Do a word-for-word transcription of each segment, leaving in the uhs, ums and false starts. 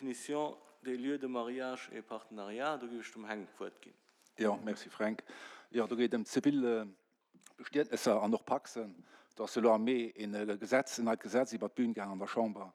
Définition des lieux de mariage et partenariat. Do géif ech dem Heng d'Wuert ginn. Jo, merci Fränk. Jo, do geet et ëm zivil Bestietnesser an och Pacsen. Do ass jo elo am Mee e Gesetz, en neit Gesetz iwwert d'Bün gaang an der Chamber.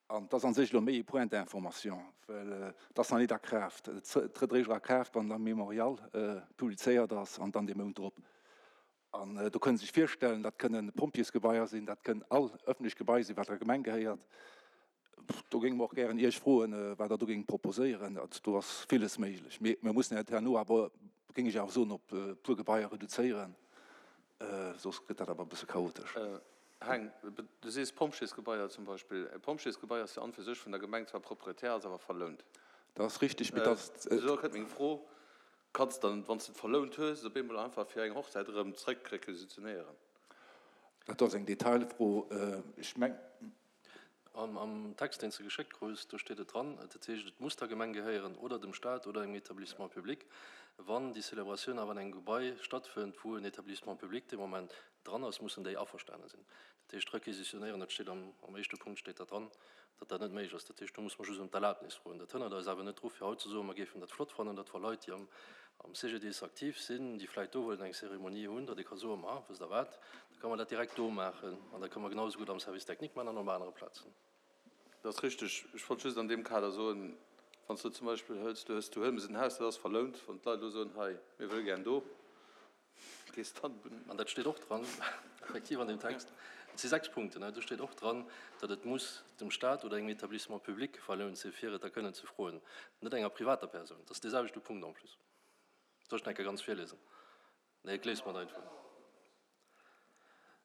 An et ass a sech elo méi e Point d'information, well et ass nach net a Kraaft. Et trëtt eréischt a Kraaft, wann am Mémorial publizéiert ass an dann dee Mount drop. An do kënnen Sie sech virstellen, dat kënnen Pompjeesgebaier sinn, dat kënnen all ëffentlech Gebai sinn, wat der Gemeng gehéiert. Do géinge mer och gären Iech froen, wat Der do géingt proposéieren. Also do ass villes méiglech. Mee mir mussen et herno awer, géing ech awer soen, op e puer Gebaier reduzéieren, soss gëtt dat awer e bësse chaotesch. Heng, du sees Pompjeesgebaier zum Beispill. E Pompjeesgebai ass jo an fir sech vun der Gemeng zwar Proprietär, ass awer verlount. Dat ass richtig, mee dat. Esou kënnt meng Fro, Kanns de dann, wann s de et verlount hues, et op eemol einfach fir eng Hochzäit erëm zréck requisitionéieren? Dat ass eng Detailfro. Ech meng. Am Text, deen s de geschéckt krus, do steet et dran, dat heescht, et muss der Gemeng gehéieren oder dem Stat oder engem Établissement public. Wann déi Célébratioun awer an engem Gebai stattfënnt, wou en Établissement public dee Moment dran ass, mussen déi averstane sinn. Dat heescht, requisitionéieren, dat steet am éischte Punkt steet dat dran, datt dat net méiglech ass. Dat heescht, do muss mer just ëm d'Erlaabnis froen. Dat hënnert eis awer net dru fir haut ze soen, mer géifen dat flott fannen, datt wa Leit, déi am am C G D I S aktiv sinn, déi vläicht do wëllen eng Cérémonie hunn, datt ee ka soen, ma wësst Der wat, da ka mer dat direkt do maachen an da kënne mer genau esou gutt am Service technique maachen an op anere Plazen. Dat ass richteg. Ech wollt just an deem Kader soen, wann s du zum Beispill hëls, du hues zu Huelmes en Haus, dat ass verlount, wann d'Leit elo soen, hei, mir wëlle gär do, gees dann. An dat steet och dran, effektiv an deem Text, et si sechs Punkten, do steet och dran, datt et muss dem Stat oder engem Établissement public verlount sinn, fir et da kënnen ze froen, net enger privater Persoun. Dat ass dee selwechte Punkt en plus. Soll ech nach eng Kéier ganz virlesen? Nee, ech léise mer et einfach.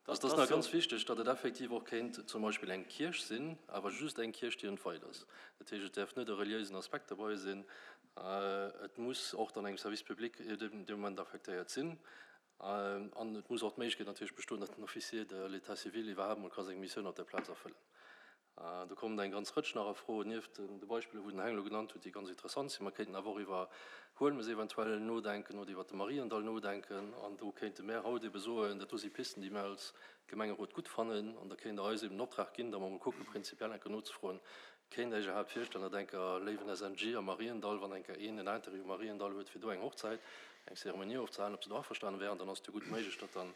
Also, dat ass nach ganz wichteg, datt et effektiv och kéint zum Beispill eng Kierch sinn, awer just eng Kierch, déi entweit ass. Dat heescht, et däerf net e reliéisen Aspekt derbei sinn. Et muss och dann engem Service public dee Moment affektéiert sinn. An et muss och d'Méiglechkeet natierlech bestoen, datt den Officier de l'état civil iwwerhaapt mol ka seng Missioun op der Plaz erfëllen. Do kommen eng ganz Rëtsch nach a Fro, nieft de Beispiller, wou den Heng elo genannt huet, déi ganz interessant sinn. Mer kéinten awer och iwwer Huelmes eventuell nodenken oder iwwer de Mariendall nodenken. An do kéinte mär haut ebe soen, dat do si Pisten, déi mär als Gemengerot gutt fannen. An da kéint Der eis eben den Optrag ginn, da mer emol kucken, prinzipiell eng Kéier nozefroen, Kéint Der Iech iwwerhaapt virstellen, datt eng Kéier, léiwen S N G am Mariendall, wann eng Kéier een en Intérêt um Mariendall huet, fir do eng Hochzäit, eng Zeremonie ofzehalen, ob se do averstane wären? Dann ass et jo gutt méiglech, datt dann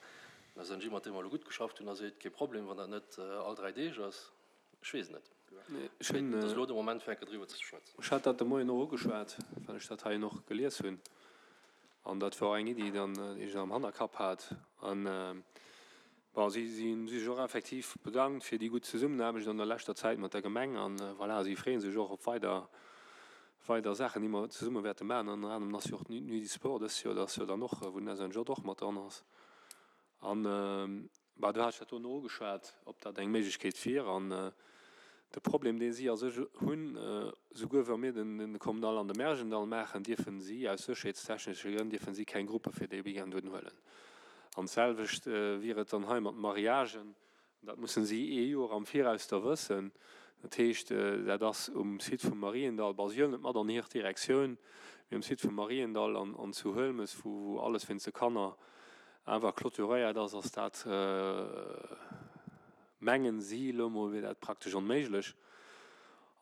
den S N G, mat deem mer elo gutt geschafft hunn, da seet, kee Problem, wann dat net all dräi Deeg ass. Ech weess et net. Ech hunn. Et ass elo de Moment, fir eng Kéier driwwer ze schwätzen. Ech hat dat de Moien och ugeschwat, well ech dat heien och gelies hunn. An dat war och eng Iddi dann, déi ech am Hannerkapp hat. An, bon, si si hunn sech och effektiv bedankt fir déi gutt Zesummenaarbecht an der leschter Zäit mat der Gemeng. An, voilà, si freeë sech och op weider, weider Saachen, déi mer zesumme wäerte maachen. Ënner anerem ass jo och d'Nuit du Sport dës Joer, dat ass jo dann och, wou den S N J och mat dran ass. An, bah, do hat ech dat dono ugeschwat, ob dat eng Méiglechkeet wier. An de Problem, dee si a sech hunn, souguer wa mir den Kommunal an de Märjendall maachen, dierfe si aus sécherheetstechnesche Grënn dierfe si keng Gruppe fir dee Weekend unhuelen. An d'selwecht wier et dann hei mat Mariagen. Dat mussen si ee Joer am Viraus da wëssen. Dat heescht, dat ass um Site vum Mariendall, bon, si huelen et mat an hir Direktioun, mee um Site vum Mariendall an an zu Huelmes, wou wou alles wéinst de Kanner awer clôturéiert ass, ass dat, mengen si elo mol, wier dat praktesch onméiglech.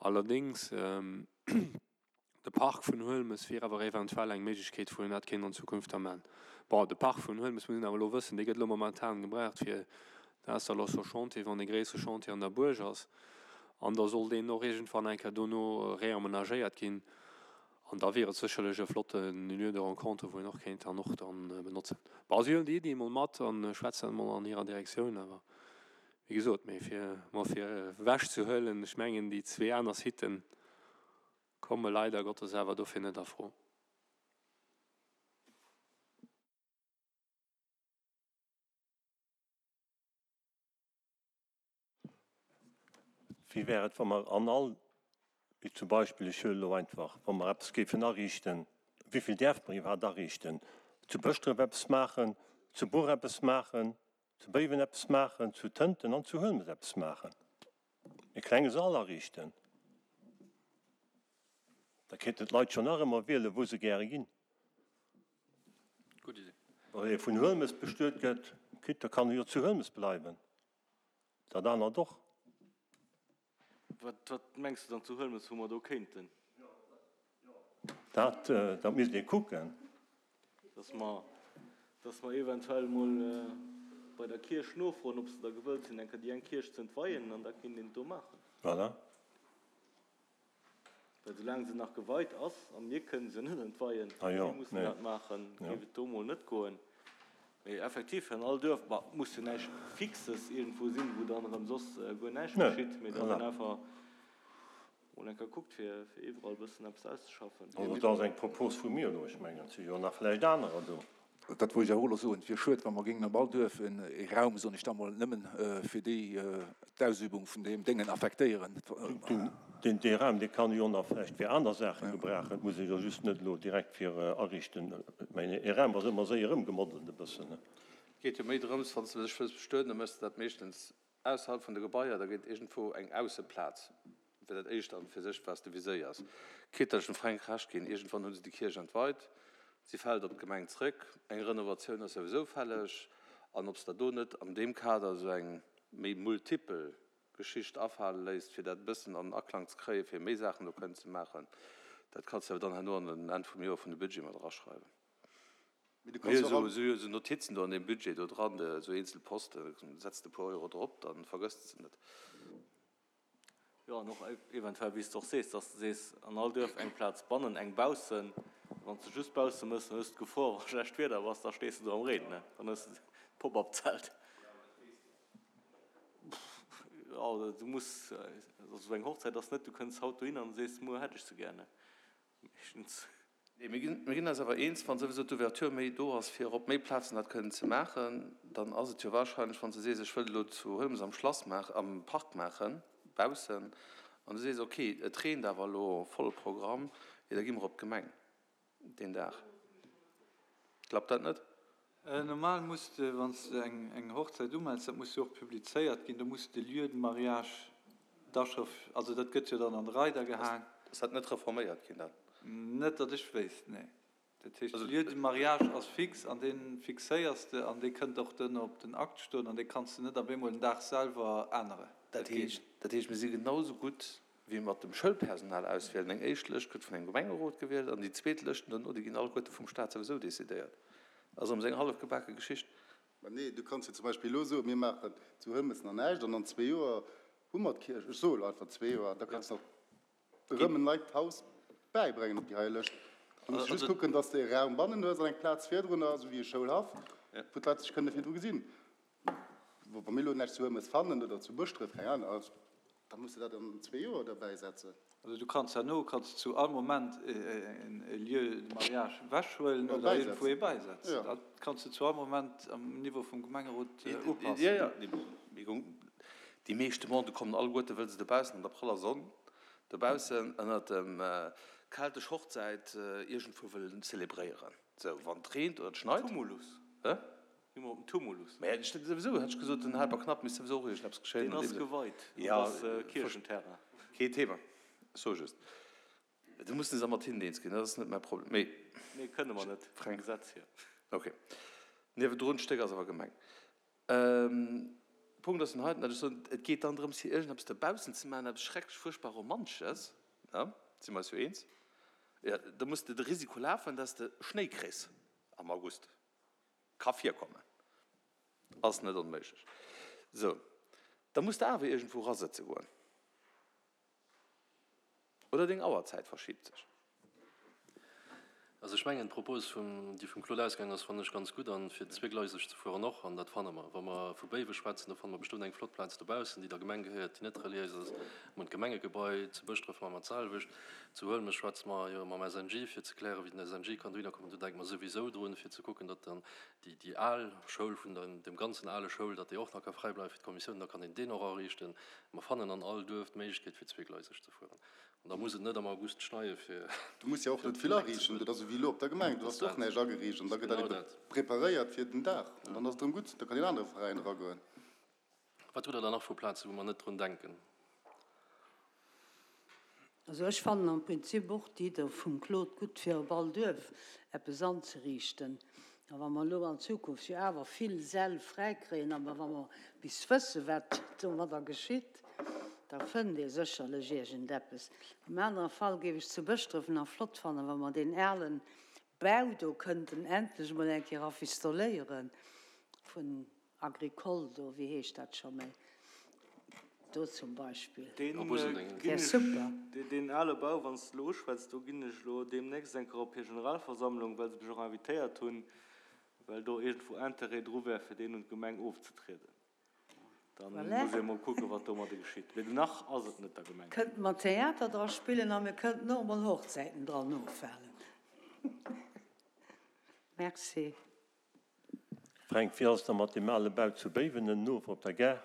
Allerdéngs, de Park vun Huelmes wier awer eventuell eng Méiglechkeet, wou een dat kéint an Zukunft da man. Bon, de Park vun Huelmes, muss een awer elo wëssen, dee gëtt elo momentan gebraucht fir d'Installation Chantier, wann e gréissere Chantier an der Buerg ass. An da soll deen och iergendwann eng Kéier dono réamenagéiert ginn. An da wier et sécherlech e flotte Lieu de rencontre, wou een och kéint dann och dann benotzen. Bon, si huelen déi Iddi emol mat a schwätzen dat emol an hirer Direktioun. Awer wéi gesot, mee fir emol fir ewechzehuelen, ech mengen déi zwee aner Siten komme leider Gottes awer dofir net a Fro. Wéi wär et, wa mer an all, wéi zum Beispill, ech huelen elo einfach, wa mer eppes géifen ariichten, wéi vill däerfe mer iwwerhaapt ariichten, zu Bëschdref eppes maachen, zu Buer eppes maachen, zu Béiwen eppes maachen, zu Tënten an zu Huelmes eppes maachen, e klenge Sall ariichten, da kéinten d'Leit schonn nach ëmmer wielen, wou se gäre ginn. Gutt Idee. Wann ee vun Huelmes bestuet gëtt, quitte, da kann e jo zu Huelmes bleiwen, dat anert och. Wat, wat mengs de dann zu Huelmes, wou mer do kéinten? Dat, dat misst ee kucken. Dass mer, dass mer eventuell emol bei der Kierch nofroen, ob se da gewëllt sinn, eng Kéier déi eng Kierch ze entweien, an da kéint een et do maachen. Voilà. Well soulaang se nach geweit ass, a mir kënnen se net entweien, si mussen dat maachen, géif et do emol net goen. Mee effektiv, fir an all Duerf, ma et muss jo näischt Fixes iergendwou sinn, wou dann erëm soss guer näischt geschitt, mee dass een einfach mol eng Kéier kuckt, fir iwwerall e bëssen eppes auszeschaffen. Also dat ass eng Propos vu mir elo. Ech mengen, et si jo nach vläicht anerer do. Dat wollt ech awer och elo soen. Et wier schued, wa mer géingen op all Duerf e Raum, soen ech da mol, nëmmen fir déi, d'Ausübung vun deem Déngen affektéieren. Deen, dee Raum, dee kann jo nach vläicht fir aner Saache gebrauchen. Et muss ee jo just net elo direkt fir ariichten. Ech mengen, e Raum ass ëmmer séier ëmgemoddelt e bëssen. Et geet jo méi drëms, wann s de dech wëlls bestueden, da méchs de dat meeschtens ausserhalb vun de Gebaier, da gëtt iergendwou eng Ausseplaz fir dat éischt an fir sech, wat s de viséiers. Quitte datt ech dem Fränk Recht ginn, iergendwann hu se déi Kierch entweit, si fält op d'Gemeng zrëck, eng Renovatioun ass souwisou fälleg, an ob s der do net an deem Kader esou eng méi multipel Geschicht afale léisst, fir dat e bëssen an Aklang ze kréien, fir méi Saachen do kënnen ze maachen, dat kanns de awer dann herno an den Enn vum Joer vun de Budget mat eraschreiwen. Mee du Mir kanns hu och all. esou esou Notizen do an deem Budget do dran, esou eenzel Posten, setz de e puer Euro drop, da vergëss de se net. Jo, an och eventuell, wéi s de och sees, dass de sees, an all Duerf eng Plaz bannen, eng baussen. Wann s de just bausse mëss, dann hues de d'Gefor, wa schlecht Wieder ass, da stees de do am Reen, ne? Dann hues de d'Pop-up-Zelt. Jo, du muss, also esou eng Hochzäit ass net, du kënns haut dohin an sees, muer hätt ech se gär, ne? Meeschtens. Nee, mir ginn, mir ginn eis awer eens, wann souwisou d'Ouverture méi do ass, fir op méi Plazen dat kënnen ze maachen, dann ass et jo wahrscheinlech, wann s de sees, ech wëll elo zu Huelmes am Schlass maachen, am Park maachen, baussen, an du sees, okay, et reent awer elo volle Programm, jo da gi mer op d'Gemeng deen Dag. Klappt dat net? Normal muss de, wann s de eng Hochzäit umells, dat muss jo och publizéiert ginn, do muss de Lieu de mariage da scho, also dat gëtt jo dann an de Reider gehaang. Ass dat net reforméiert ginn dann? Net datt ech wéisst, nee. Dat heescht, de Lieu de mariage ass fix an dee fixéiers de an dee kënnt och duerno op den Akt stoen an dee kanns de net op eemol den Dag selwer änneren. Dat Dat geet heescht, net. dat heescht, mir si genau esou gutt wéi mat dem Schoulpersonal auswielen. Eng éischt Lëscht gëtt vun engem Gemengerot gewielt an déi zweet Lëscht duerno, déi ginn alleguerte vum Staat souwisou decidéiert. Ass erëm esou eng hallef gebake Geschicht. Mä nee, du kanns jo zum Beispill elo soen, mir maachen zu Huelmes nach näischt an an zwee Joer hu mer d'Kierch, ech soe elo einfach zwee Joer, da kanns de nach erëm en neit Haus bäibréngen op déi hei Lëscht. Du muss just kucken, dass de e Raum bannen hues an eng Plaz virdrunner, esou wéi e Schoulhaff, wou d'Leit sech kënne virdru gesinn. Wa mir elo näischt zu Huelmes fannen oder zu Bëschdref, keng Ahnung, da muss de dat an zwee Joer derbäisetzen. Also du kanns herno kanns zu all Moment e Lieu de mariage ewechhuelen Oder oder iergendwou ee bäisetzen. bäisetzen. Jo. Dat kanns du zu all Moment am Niveau vum Gemengerot Jo, upassen. jo, déi meescht Demandë kommen alleguerte wëll se dobaussen an der praller Sonn, dobaussen ënnert dem keltesch Hochzäit iergendwou wëllen zelebréieren. Sou, wann et reent oder et schneit. Tumulus. Hä? Gi mer op den Tumulus. Mä ech hätt souwisou, hätt ech gesot, den Helperknapp misst souwisou och iergendeppes geschéien Deen an ass deem Sënn. geweit, dat Ja, ass Kierchenterrain. Kee Thema. Ech soe just, do mussen se mat hinnen eens ginn, dat ass net mäi Problem. Mee. Nee, kënne mer net, vum Fränk. Gesetz hier. Ok. Niewendrun d'Stéck ass awer Gemeng. Punkt ass den heiten, datt ech soen, et geet dann drëms, hir iergendeppes dobaussen ze maachen, eppes schrecklech fuerchtbar Romantesches, ne, si mer eis jo eens, jo, da muss de de Risiko lafen, datt s de Schnéi kriss am August. Ka virkommen, ass net onméiglech. Sou, da muss de awer iergendwou erasëtze goen. Oder deng Auerzäit verschibt sech. Also ech mengen, d'Propos, vum, déi vum Claude ausgaangen ass, fannen ech ganz gutt. An fir zweegleiseg ze fueren och, an dat fanne mer, wa mer vu Béiwe schwätzen, do fanne mer bestëmmt eng flott Plaz dobaussen, déi der Gemeng gehéiert, déi net reliéis ass. Mir hunn d'Gemengegebai, zu Bëschdref maache mer d'selwecht, zu Huelmes schwätze mer jo mam S N J, fir ze klären, wéi den S N J kann dohinner kommen. Do denke mer souwisou drun, fir ze kucken, datt dann déi, déi al Schoul vun der, dem ganzen ale Schoul, datt déi och nach ka fräi bleiwe fir d'Kommissioun, da kann een deen och ariichten. Mer fannen an all Duerf d'Méiglechkeet, fir zweegleiseg ze fueren. An da muss et net am August schneie fir Du muss jo och fir net op vill den Leck ze ariichten. fueren. Dat ass esou wéi elo op der Gemeng, do Dat ass ass och dat. näischt ageriicht an da Dat ass gëtt dat genau ebe dat. preparéiert fir den Dag an dann ass et erëm gutt, da kann een anere Veräin eragoen. Wat hutt Der dann nach vu Plazen, wou mer net drun denken? Also ech fannen am Prinzip och d'Idde vum Claude gutt, fir op all Duerf eppes anzeriichten. A wa mer elo an Zukunft jo awer vill Säll fräikréien, awer wa mer bis wësse wat domadder geschitt, Da fënnt ee sécherlech iergendeppes. Am anere Fall géif ech zu Bëschdref nach flott fannen, wa mer deen alen Bau do kënnten endlech emol eng Kéier rafistoléieren, vun Agricole do, wéi heescht dat scho méi, do zum Beispill. Deen Wär super. Deen ale Bau, wann s de elo uschwätz, do ginn ech elo deemnächst eng Kéier op hir Generalversammlung, well se mech och invitéiert hunn, well do iergendwou Interêt dru wär, fir deen un d'Gemeng ofzetrieden. Dann Voilà. muss ee mol kucken, wat domadde geschitt. Mee nach ass et net der Gemeng. Kënnte mer Theater dra spillen a mir kënnten och emol Hochzäiten dran ofhalen. Merci. Fränk, wéi ass et da mat deem ale Bau zu Béiwen ënnof op der Gare?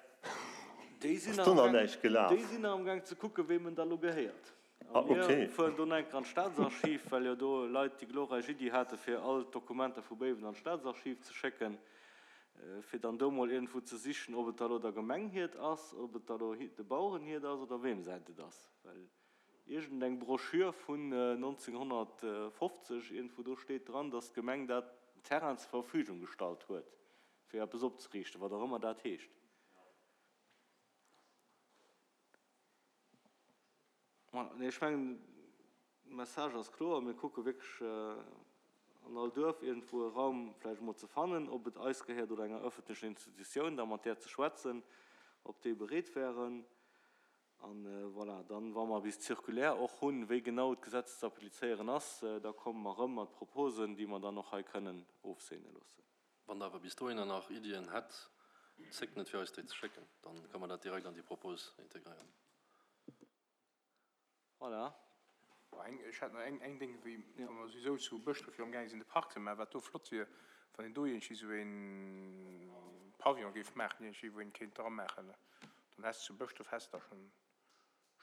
Déi sinn Ass nach do am nach Gaang, näischt gelaf? déi sinn nach am Gaang ze kucken, weem en da lo gehéiert. A Ah, mir okay. fueren do nach eng Kéier an d'Staatsarchiv, well jo do Leit déi glorreich Iddi hate fir all d'Dokumenter vu Béiwen an d'Staatsarchiv ze schécken. Fir dann do mol iergendwou ze sichen, ob et da lo der Gemeng hiert ass, ob et da lo de Baueren hiert ass oder weem säint et ass. Well iergendeng Broschür vun neunzehnhundertfofzeg, iergendwou do steet dran, dass d'Gemeng dat Terrain zur Verfügung gestallt huet, fir eppes opzeriichten, wat och ëmmer dat heescht. Voilà, nee, ech mengen, de Message ass kloer. Mir kucke wierklech an all Duerf iergendwou e Raum vläicht emol ze fannen, ob et eis gehéiert oder enger öffentlecher Institutioun, da mat där ze schwätzen, ob déi bereet wären. A voilà, dann, wa mer bis d'Circulaire och hunn, wéi genau d'Gesetz ze applizéieren ass, da komme mer erëm mat Proposen, déi mer dann och hei kënnen ofseene loossen. Wann Der awer bis dohinner nach Iddien hätt, zéckt net fir eis déi ze schécken, dann ka mer dat direkt an déi Propos integréieren. Voilà. Ech hätt nach eng Ding, wéi wa mer souwisou zu Bëschdref jo amgaange sinn de Park ze maachen, wat do flott wier, wann een do iergendwéi esou ee Pavillon géif maachen, iergendwéi wou een kéint dra maachen. Dann häss de zu Bëschdref häss de da schonn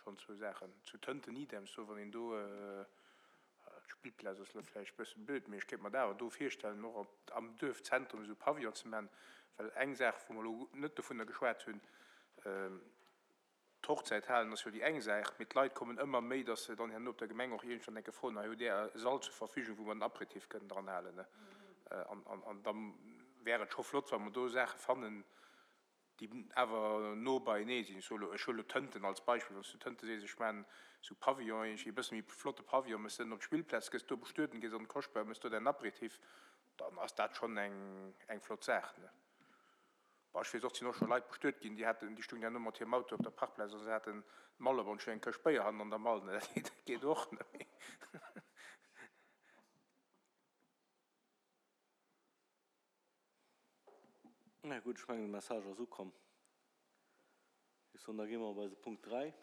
schonn zwou Saachen. Zu Tënten idem, so wann een do, d'Spillplaz ass elo vläicht e bësse blöd, mee ech kéint mer dat awer do virstellen, och op am Duerfzentrum esou e Pavillon ze maachen, well eng Saach, wou mer elo net dovunner geschwat hunn, D'Hochzäithalen ass jo déi eng Saach, mee d'Leit kommen ëmmer méi, dass se dann herno op der Gemeng och iergendwann enke froen, Hei hutt Där e Sall zur Verfügung, wou mer den Apéritif kënnen dran halen? An da wär et scho flott, wa mer do Saache fannen, déi awer no beienee sinn. Ech soe lo, ech huele lo Tënten als Beispill, Wann s du Tënte sees, ech maachen esou Pavillon, iergendwéi e bësse méi flotte Pavillon, méchs de en op d'Spillplaz, gëss do bestueden, gees an den Koschtbau, méchs do däin Apéritif, dann ass dat schonn eng flott Saach. Bon, ech weess och, et sinn och scho Leit bestuet ginn, déi haten, déi stungen herno mat hirem Auto op der Parkplaz a se haten d'Mall op an ech hunn eng Këscht Béier hannen an der Mall, ne, dat geet och, ne. Na gutt, ech mengen, de Message ass ukomm. Ech soen, da gi mer op eise Punkt dräi.